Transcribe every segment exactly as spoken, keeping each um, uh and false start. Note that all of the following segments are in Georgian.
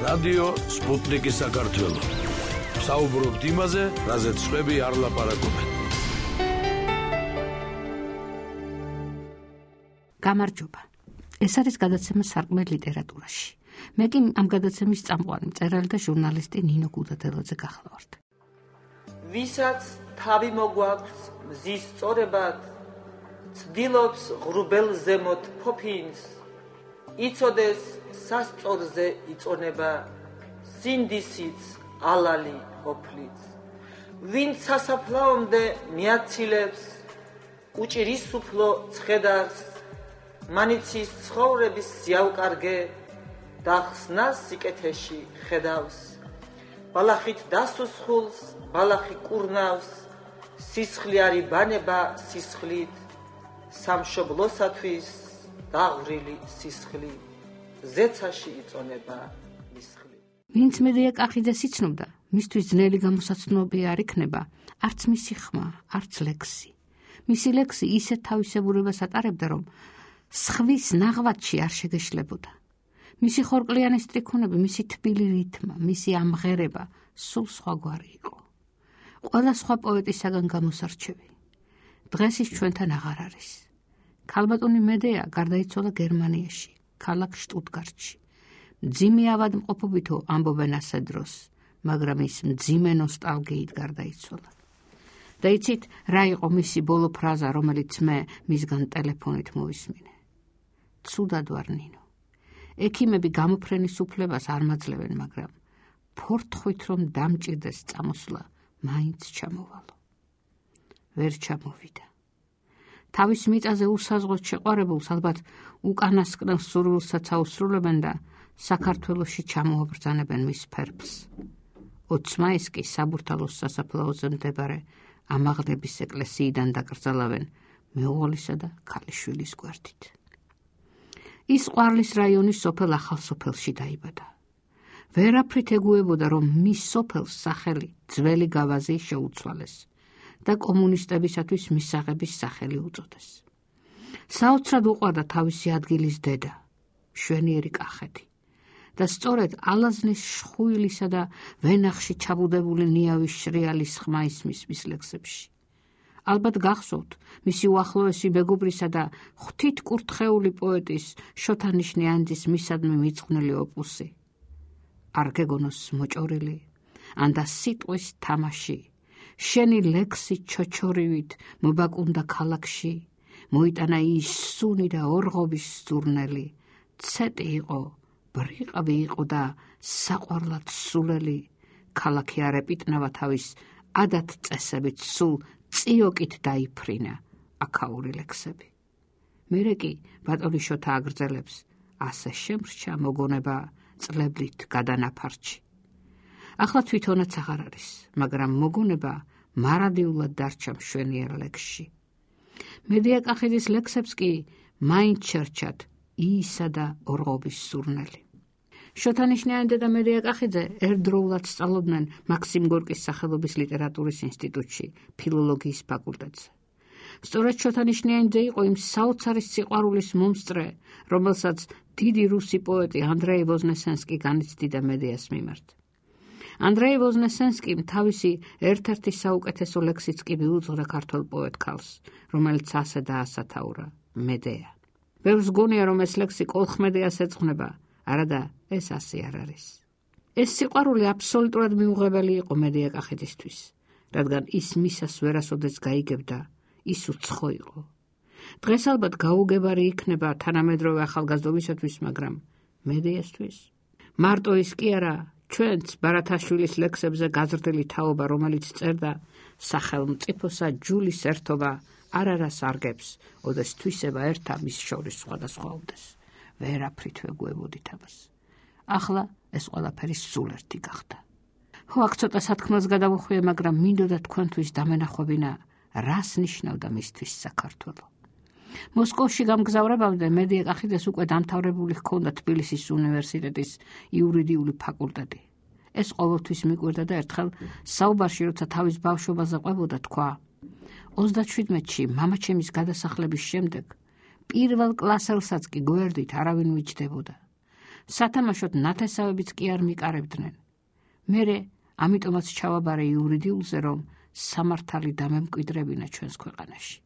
რადიო სპუტნიკი საქართველო. საუბრობთ იმაზე, რაზეც სხვები არ ლაპარაკობენ. გამარჯობა. ეს არის გადაცემა სარკმელ ლიტერატურაში. მე კი ამ გადაცემის წამყვანი მწერალი და ჟურნალისტი ნინო გუდადელაძე გახლავართ. ვისაც თავი მოგვაქვს მზის სწორებად, ცდილობს ღრუბელ ზემოთ ფოფინს, იცოდეს სასწორზე იწონება, სინდისიც ალალი ოფლიც. ვინც სასაფლაომდე მიაცილებს, უჭირის უფლო ცხედარს, მანიცის ცხოვრების სიავკარგე და ხსნას სიკეთეში ხედავს. ბალახით დასუსხულს, ბალახი კურნავს, სისხლი არი ბანება სისხლით, სამშობლოსათვის დაღვრილი სისხლი, ზეცაში იწონება მისხლი. ვინც მედია კახიძეს იცნობდა, მისთვის ძნელი გამოსაცნობი არ იქნება, არც მისი ხმა, არც ლექსი. მისი ლექსი ისეთ თავისებურებას ატარებდა, რომ სხვის ნაღვაწში არ შეგეშლებოდა. მისი ხორკლიანი სტრიქონები, მისი თბილი რითმა, მისი ამღერება სულ სხვაგვარი იყო. ყველა სხვა პოეტისაგან გამოსარჩევი. დღეს ის ჩვენთან აღარ არის. ქალბატონი მედეა გარდაიცვალა გერმანიაში, ქალაქ შტუტგარტში. მძიმე ავადმყოფობითო ამბობენ ასე დროს, მაგრამ ის მძიმე ნოსტალგიით გარდაიცვალა. და იცით, რა იყო მისი ბოლო ფრაზა, რომელიც მე მისგან ტელეფონით მოვისმინე? ცუდად ვარ ნინო. ექიმები გამოფრენის უფლებას არ მაძლევენ, მაგრამ ფორთხვით რომ დამჭირდეს წამოსვლა, მაინც ჩამოვალო. ვერ ჩამოვიდა. თავის მიწაზე უსაზღოდ შეყვარებულს ალბათ უკანასკნელ სურვილსაც აუსრულებენ და საქართველოში ჩამოაბრძანებენ მის ფერფლს. ოცი მაისს კი საბურთალოს სასაფლაოზე მდებარე ამაღლების ეკლესიიდან დაკრძალავენ მეუღლისა და ქალიშვილის გვერდით. ის ყვარლის რაიონის სოფელ ახალსოფელში დაიბადა. ვერაფრით ეგუებოდა, რომ მის სოფელს სახელი ძველი გავაზი შეუცვალეს და კომუნისტებისათვის მისაღების სახელი უწოდეს. საოცრად უყვარდა თავისი ადგილის დედა, შვენიერი კახეთი და სწორედ ალაზნის შხუილისა და ვენახში ჩაბუდებული ნიავის შრიალის ხმა ისმის მის ლექსებში. ალბათ გახსოვთ მისი უახლოესი მეგობრისა და ღვთითკურთხეული პოეტის შოთა ნიშნიანძის მისადმი მიწყვნილი ოპუსი არ გეგონოს მოჭორილი, ანდა სიტყვის თამაში, შენი ლექსი ჩოჩორივით მობაკუნდა ქალაქში, მოიტანა ის სუნი და ორღობის ზურნელი, ცეტი იყო, ბრიყვი იყო და საყვარლად სულელი, ქალაქი არ ეპიტნავა თავის ადათ წესებით, სულ წიოკით დაიფრინა აქაური ლექსები. მერე კი ბატონი შოთა აგრძელებს, ასე შემრჩა მოგონება წლებლით გადანაფარჩი. ახლა თვითონაც აღარ არის, მაგრამ მოგონება მარადიულად დარჩა მშვენიერ ლექსში. მედია კახიძის ლექსებს კი მაინც შერჩათ იისა და ორღობის სურნელი. შოთა ნიშნიანძე და მედია კახიძე ერთდროულად სწავლობდნენ მაქსიმ გორკის სახელობის ლიტერატურის ინსტიტუტში, ფილოლოგიის ფაკულტეტზე. სწორედ შოთა ნიშნიანძე იყო იმ საოცარი სიყვარულის მომსწრე, რომელსაც დიდი რუსი პოეტი ანდრეი ვოზნესენსკი განიცდიდა მედიას მიმართ. ანდრეი ვოზნესენსკიმ თავისი ერთ-ერთი საუკეთესო ლექსიც კი მიუძღვრა ქართველ პოეტ ქალს, რომელიც ასე დაასათაურა, მედეა. ბევრს გონია, რომ ეს ლექსი კოლხმედეას ეძღვნება, არადა ეს ასე არ არის. ეს სიყვარული აბსოლუტურად მიუღებელი იყო მედია კახიძისთვის, რადგან ის მისას ვერასოდეს გაიგებდა, ის უცხო იყო. დღეს ალბათ გაუგებარი იქნება თანამედროვე ახალგაზრდობისათვის, მაგრამ მედიასთვის მარტო ის კი არა, ჩვენც ბარათაშვილის ლექსებზე გაზრდილი თაობა, რომელიც წერდა სახელმწიფოსა ჯულის ერთობა არარას არგებს, ოდეს თვისება ერთა მის შორის სხვადასხვაობდეს. ვერაფრით ვეგუებოდით ამას. ახლა ეს ყველაფერი სულ ერთი გახდა. ხო, აქ ცოტა სათქმელს გადავუხვიე, მაგრამ მინდოდა თქვენთვის დამენახვებინა, რას ნიშნავდა მისთვის საქართველო. მოსკოვში გამგზავრებამდე მედია კახიძეს უკვე დამთავრებული ჰქონდა თბილისის უნივერსიტეტის იურიდიული ფაკულტეტი. ეს ყოველთვის მიკვირდა და ერთხელ საუბარში, როცა თავის ბავშვობაზე ყვებოდა, თქვა: ოცდაშვიდმეტში მამაჩემის გადასახლების შემდეგ პირველ კლასელსაც კი გვერდით არავინ მიჯდებოდა. სათამაშოდ ნათესავებიც კი არ მიყარებდნენ. მერე ამიტომაც ჩავაბარე იურიდიულზე, რომ სამართალი დამემკვიდრებინა ჩვენს ქვეყანაში.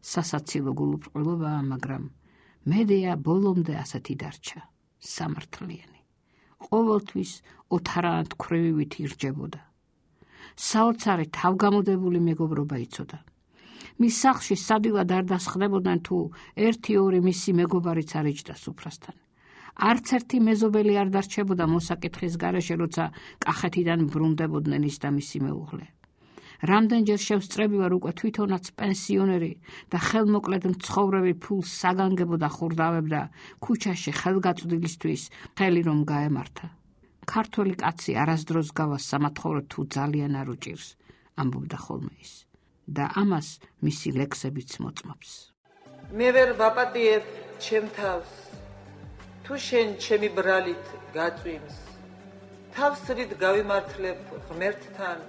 სასაცილო გულუბრყვილობაა, მაგრამ მედეა ბოლომდე ასეთი დარჩა, სამართლიანი. ყოველთვის ოთარანთქვრივივით ირჯებოდა. საოცარი თავგამოდებული მეგობრობა იცოდა. მის სახლში სადილად არ დასხდებოდნენ თუ ერთი ორი მისი მეგობარიც არ იჯდა სუფრასთან. არც ერთი მეზობელი არ დარჩებოდა მოსაკითხის გარეშე, როცა კახეთიდან ბრუნდებოდნენ ის და მისი მეუღლე. რამდენჯერ შევსწრები ვარ უკვე თვითონაც პენსიონერი და ხელმოკლედ მცხოვრები ფულს საგანგებო და ხურდავებდა ქუჩაში ხელგაწვდილისთვის ხელი რომ გაემართა. ქართველი კაცი არასდროს გავა სამათხოვრო თუ ძალიან არ უჭირს, ამბობდა ხოლმე ის. და ამას მისი ლექსებიც მოწმობს. მე ვერ ვაპატიებ ჩემ თავს, თუ შენ ჩემი ბრალით გაწვიმს, თავს რით გავიმართლებ ღმერთთან,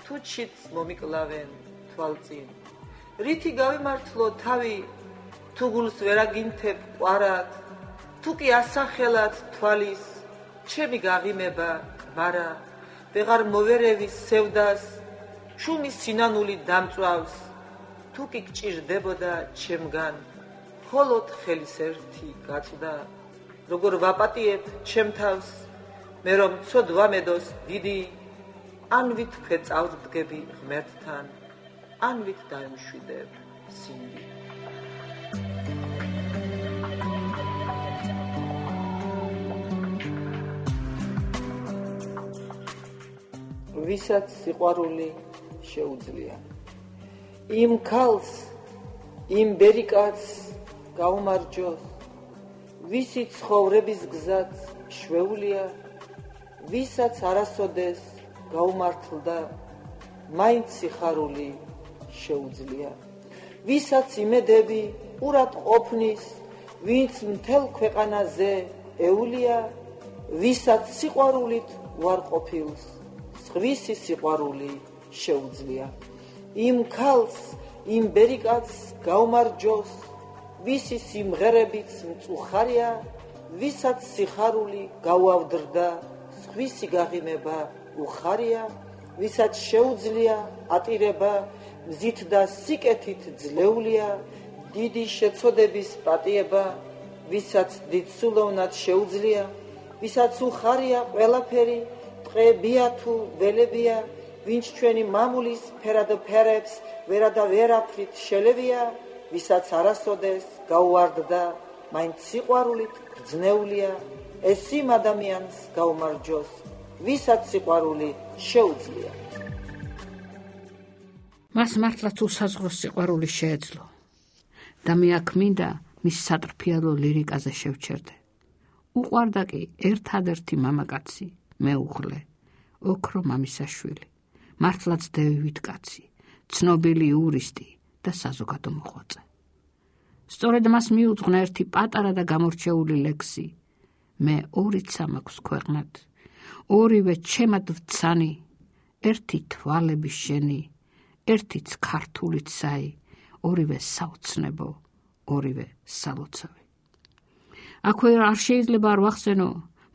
თუ ჩიც მომიკლავენ თვალწინ. რითი გავიმართლო თავი, თუ გულს ვერაგინთებ ყვარად, თუ კი ასახელად თვალის, ჩემი გაღიმება მარა, ვეღარ მოვერევის სევდას, შუმი სინანული დამწვავს, თუ კი გჭირდებოდა ჩემგან, მხოლოდ ხელის ერთი გაწვდა. როგორ ვაპატიებ ჩემ თავს, მე რომ ცოდ ვამედოს დიდი, ან ვით ქვეწავდგები ღმერთთან, ან ვით დაემშვიდებ სინდი. ვისაც სიყვარული შეუძლია, იმ ქალს, იმ ბერიკაც გაუმარჯოს, ვისი ცხოვრების გზაც შვეულია, ვისაც არასოდეს გაუმართლდა, მაინც სიხარული შეუძლია. ვისაც იმედები ურად ყოფნის, ვინც მთელ ქვეყანაზე ეულია, ვისაც სიყვარულით უარყოფილს, სხვისი სიყვარული შეუძლია. იმ ქალს, იმ ბერიკაც გაუმარჯოს, ვისი სიმღერებიც მწუხარია, ვისაც სიხარული გაუავდრდა, სხვისი გაღიმება უხარია, ვისაც შეუძლია ატირება, მზით და სიკეთით ძლეულია, დიდი შეცოდების პატიება, ვისაც დიდსულოვნად შეუძლია, ვისაც უხარია ყველაფერი, ტყეებია თუ ველებია, ვინც ჩვენი მამულის ფერად ფერებს ვერა და ვერაფრით შელევია, ვისაც არასოდეს გაუვარდდა, მაინც სიყვარულით გრძნეულია, ეს იმ ადამიანს გაუმარჯოს, ვისაც სიყვარული შეუძლია. მას მართლაც უსაზღვროს სიყვარული შეეძლო და მე აქ მინდა მის სატრფიალო ლირიკაზე შევჩერდე. უყვარდა კი ერთადერთი მამაკაცი, მეუღლე, ოქრო მამისაშვილი, მართლაც დევივით კაცი, ცნობილი იურისტი და საზოგადო მოღვაწე. სწორედ მას მიუძღვნა ერთი პატარა და გამორჩეული ლექსი, მე ორიცა მაქვს ქვეყნად, ორივე ჩემად ვცანი, ერთი თვალები შენი, ერთიც ქართულიც საი, ორივე საოცნებო, ორივე სალოცავი. აქვე არ შეიძლება არ ვახსენო,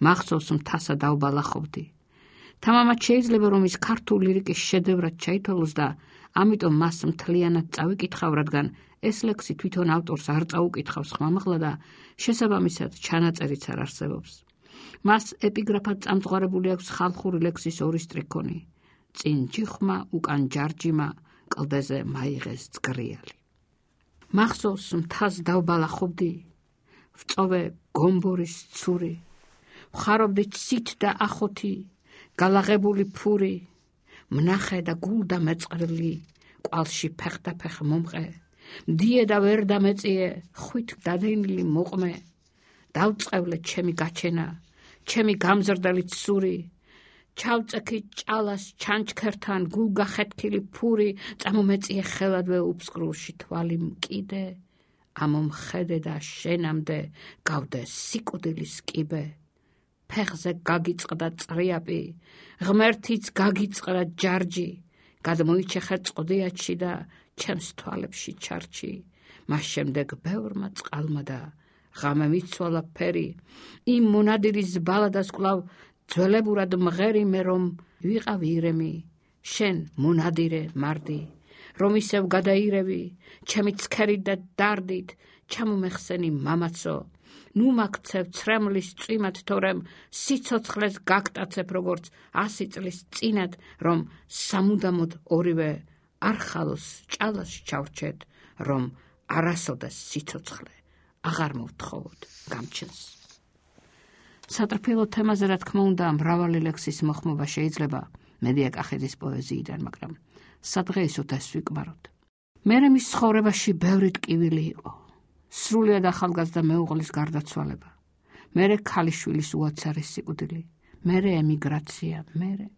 მახსოვს მთასა დავბალახობდი. თამამად შეიძლება რომ ის ქართულ ლირიკის შედევრად ჩაითვალოს და ამიტომ მას მთლიანად წავიკითხავ, რადგან ეს ლექსი თვითონ ავტორს არ წაუკითხავს ხმამაღლა და შესაბამისად ჩანაწერიც არ არსებობს. მას ეპიგრაფად წამწღვარებული აქვს ხალხური ლექსის ორი სტრიქონი, წინ ჯიხმა, უკან ჯარჯიმა, კლდეზე მაიღეს ძგრიალი. მახსოვს მთას დავბალახობდი, ვწოვე გომბორის ცური, ვხარობდი ცით და ახოთი, გალაღებული ფური, მნახე და გულ და მეწყრილი, ყვალში ფეხდაფეხ მომყე, მდიე და ვერ დამეწიე, ხვით დადენილი მოყმე, დავწყევლე ჩემი გაჩენა, ჩემი გამზრდელი ცური, ჩავწექი ჭალას ჩანჩქერთან, გულ გახეთქილი ფური, წამომეწიე ხელადვე უფსკრულში თვალი მკიდე, ამომხედე და შენამდე გავდე სიკვდილის კიბე, ფეხზე გაგიწყდა წრიაპი, ღმერთიც გაგიწყდა ჯარჯი, გადმოიჩეხე წყდიაჩი და ჩემს თვალებში ჩარჩი, მას შემდეგ ბევრმა წყალმა და ღამე მიცვალა ფერი, იმ მონადირის ბალადას კვლავ ძველებურად მღერი მე რომ ვიყავი ირემი, შენ მონადირე მარდი, რომ ისევ გადაირევი, ჩემი ცქერით და დარდით, ჩამომეხსენი მამაცო, ნუ მაგცევ ცრემლის წვიმად, თორემ სიცოცხლეს გაგტაცებ როგორც ასი წლის წინათ, რომ სამუდამოდ ორივე არ ხალოს ჭალას ჩავრჩეთ, რომ არასოდეს სიცოცხლე აღარ მოვთხოვოთ გამჩენს. სატრფილო თემაზე რა თქმა უნდა მრავალი ლექსის მოხმობა შეიძლება მედია კახეძის პოეზიიდან, მაგრამ სადღეისოდ ეს ვიკმაროთ. მერე მის ცხოვრებაში ბევრი ტკივილი იყო. სრულიად ახალგაზრდა მეუღლის გარდაცვალება, მერე ქალიშვილის უაცარი სიკვდილი, მერე ემიგრაცია, მერე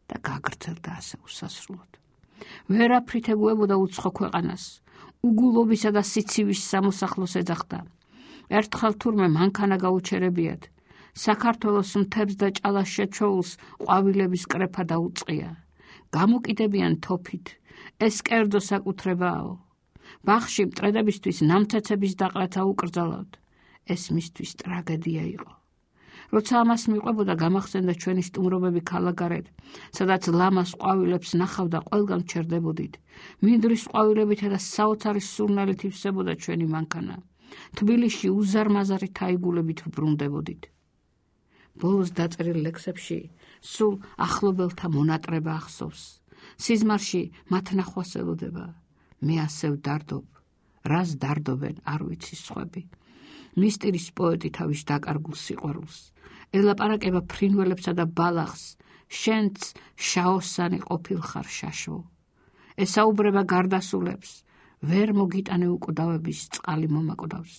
და გაგრძელდა ასე უსასრულოდ. ვერაფრით ეგუებოდა უცხო ქვეყანას, უგულობისა და სიცივის სამოსახლოს ეძახდა. ერთხელ თურმე მანქანა გაუჩერებიათ, საქართველოს მთებს და ჭალას შეჩოულს ყვავილების კრეფა დაუწყია. გამოკიდებიან თოფით, ეს კერძო საკუთრებაო. ბაღში მტრედებისთვის ნამცეცების დაყრაცა უკრძალავთ. ეს მისთვის ტრაგედია იყო. როცა ამას მიყვებოდა, გამახსენდა ჩვენი სტუმრობები ქალაქგარეთ, სადაც ლამას ყვავილებს ნახავდა, ყველგან ჩერდებოდით. მინდვრის ყვავილებითა და საოცარი სურნელით ივსებოდა ჩვენი მანქანა. თბილისში უზარმაზარი თაიგულებით ვბრუნდებოდით. ბოლოს დაწერილ ლექსებში სულ ახლობელთა მონატრება ახსოვს. სიზმარში მათ ნახვას ელოდება. მე ასე ვდარდობ, რას დარდობენ არ ვიცი სხვები. მისტირის პოეტი თავის დაკარგულ სიყვარულს ელაპარაკება ფრინველებსა და ბალახს, შენც შაოსანი ყოფილ ხარ შაშო. ესაუბრება გარდასულებს, ვერ მოგიტანე უკვდავების წყალი მომაკვდავს.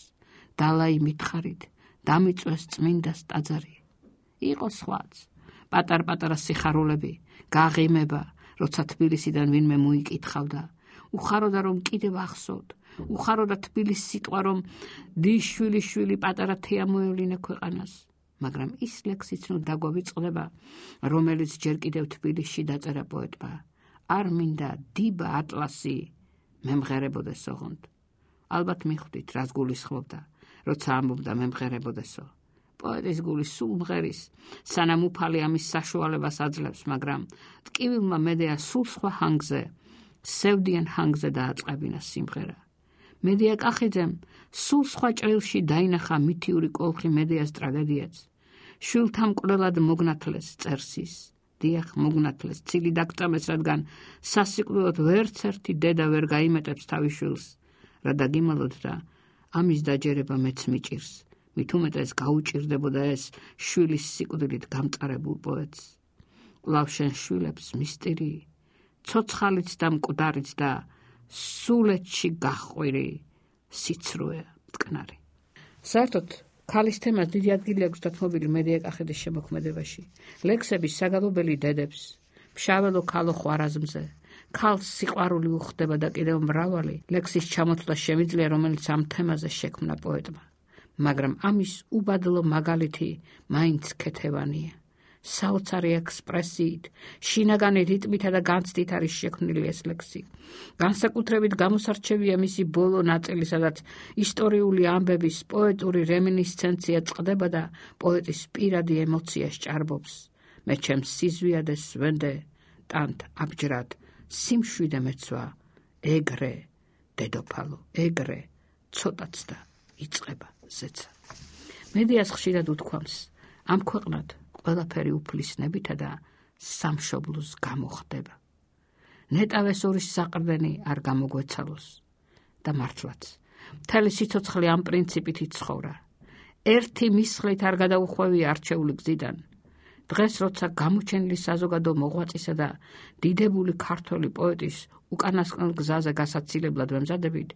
დალაი მითხარით, დამიწვეს წმინდას ტაძარი. იყო სხვაც, პატარ-პატარა სიხარულები, გაღიმება, როცა თბილისიდან ვინმე მოიკითხავდა. უხაროდა რომ კიდევ ახსოვთ, უხაროდა თბილის სიტყვა რომ დის შვილი პატარა თეა მოევლინე ქვეყანას. მაგრამ ის ლექსიც ნუ დაგვავიწყდება, რომელიც ჯერ კიდევ თბილისში დაწერა პოეტმა. არ მინდა დილა ატლასი მემღერებოდეს ოღონდ. ალბათ მიხვდით რას გულისხმობდა, როცა ამბობდა მემღერებოდესო. პოეტის გული სულ მღერის, სანამ უფალი ამის საშუალებას აძლევს, მაგრამ ტკივილმა მედეა სულ სხვა ჰანგზე, სევდიან ჰანგზე დააწყებინა სიმღერა. მედია კახიძემ სულ სხვა ჭრილში დაინახა მითიური კოლხი მედეას ტრაგედიაც. შვილთა მკვლელად მოგნათლეს წერსის, დიახ მოგნათლეს, ცილი დაგწამეს, რადგან სასიკვდილოდ ვერც ერთი დედა ვერ გაიმეტებს თავის შვილს, რა დაგიმალოთ და ამის დაჯერება მეც მიჭირს. მით უმეტეს გაუჭირდებოდა ეს შვილის სიკვდილით გამწარებულ პოეტს. კვლავ შენ შვილებს მისტირი, ცოცხალიც და მკვდარიც და სულეთში გახვირი სიცრუე მტკნარი. საერთოდ ქალის თემას დიდი ადგილი აქვს დათმობილი მედია კახეძის შემოქმედებაში. ლექსების საგალობელი დედებს, მშაველო ქალო ხვარაზმზე, ქალს სიყვარული უხდება და კიდევ მრავალი ლექსის ჩამოთვლა შემიძლია, რომელიც ამ თემაზე შექმნა პოეტმა. მაგრამ ამის უბადლო მაგალითი მაინც ქეთევანია. საოცარი ექსპრესიით, შინაგანი რიტმითა და განცდით არის შექმნილი ეს ლექსი. განსაკუთრებით გამოსარჩევია მისი ბოლო ნაწილი, სადაც ისტორიული ამბების პოეტური რემინისცენცია წყდება და პოეტის პირადი ემოცია სჭარბობს. მე ჩემს სიზვიადეს ვენდე, ტანთ აბჯრად, სიმშვიდე მეცვა, ეგრე, დედოფალო, ეგრე, ცოტაც და იწყება ზეცა. მედიას ხშირად უთქვამს, ამ ქვეყნად ყველაფერი უფლისნებითა და სამშობლოს გამოხდება. ნეტავეს ორის საყრდენი არ გამოგვეცალოს და მართლაც. მთელი სიცოცხლე ამ პრინციპით იცხოვრა. ერთი მისხლით არ გადაუხვევი არჩეული გზიდან. დღეს როცა გამოჩენილი საზოგადო მოღვაწისა და დიდებული ქართველი პოეტის უკანასკნელ გზაზე გასაცილებლად ვემზადებით,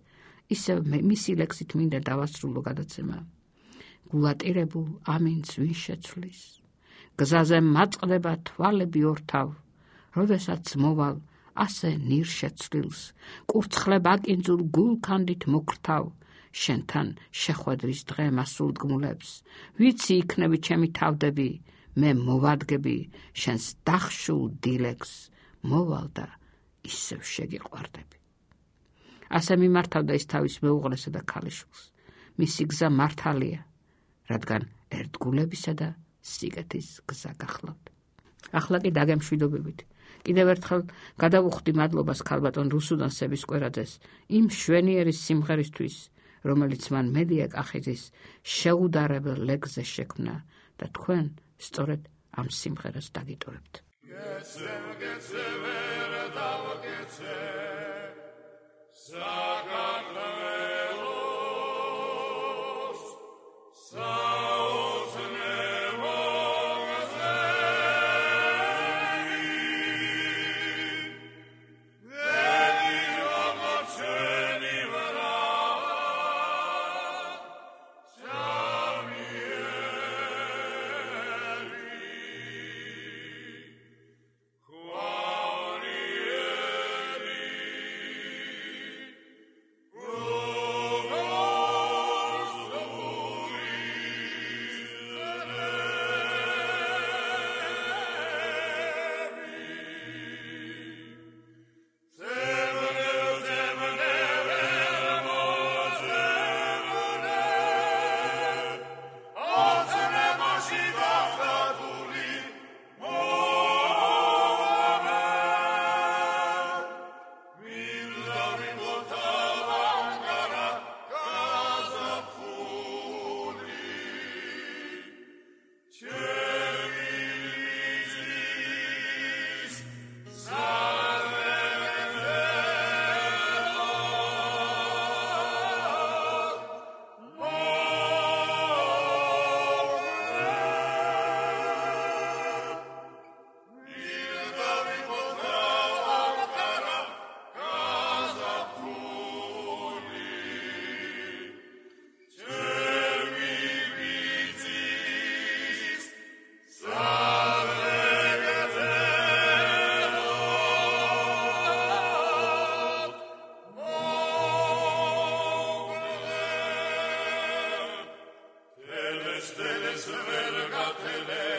ისევ მისი ლექსით მინდა დავასრულო გადაცემა. გულატირებულ ამინც ვინ შეცვლის, გზაზე მაწყდება თვალები ორთავ, როდესაც მოვალ ასე ნირ შეცვლილს, კურცხლებ აკინძულ გულქანდით მოკრთავ, შენთან შეხვედრის დღე მასულდგმულებს, ვიცი იქნები ჩემი თავდები, მე მოვადგები შენს დახშულ დილეგს, მოვალ და ისევ შეგიყვარდები. ასე მიმართავდა ის თავის მეუღლესა და ქალიშვილს. მისი გზა მართალია, რადგან ერთგულებისა და სიგეთის გზა გახლავთ. ახლა კი დაგემშვიდობებით. კიდევ ერთხელ გადავუხდი მადლობას ქალბატონ რუსუდან სებისკვერაძეს იმ მშვენიერი სიმღერისთვის, რომელიც მან მედია კახიძის შეუდარებელ ლეგზე შექმნა და თქვენ სწორედ ამ სიმღერას დაგიტოვებთ. Stelle, stelle, stelle,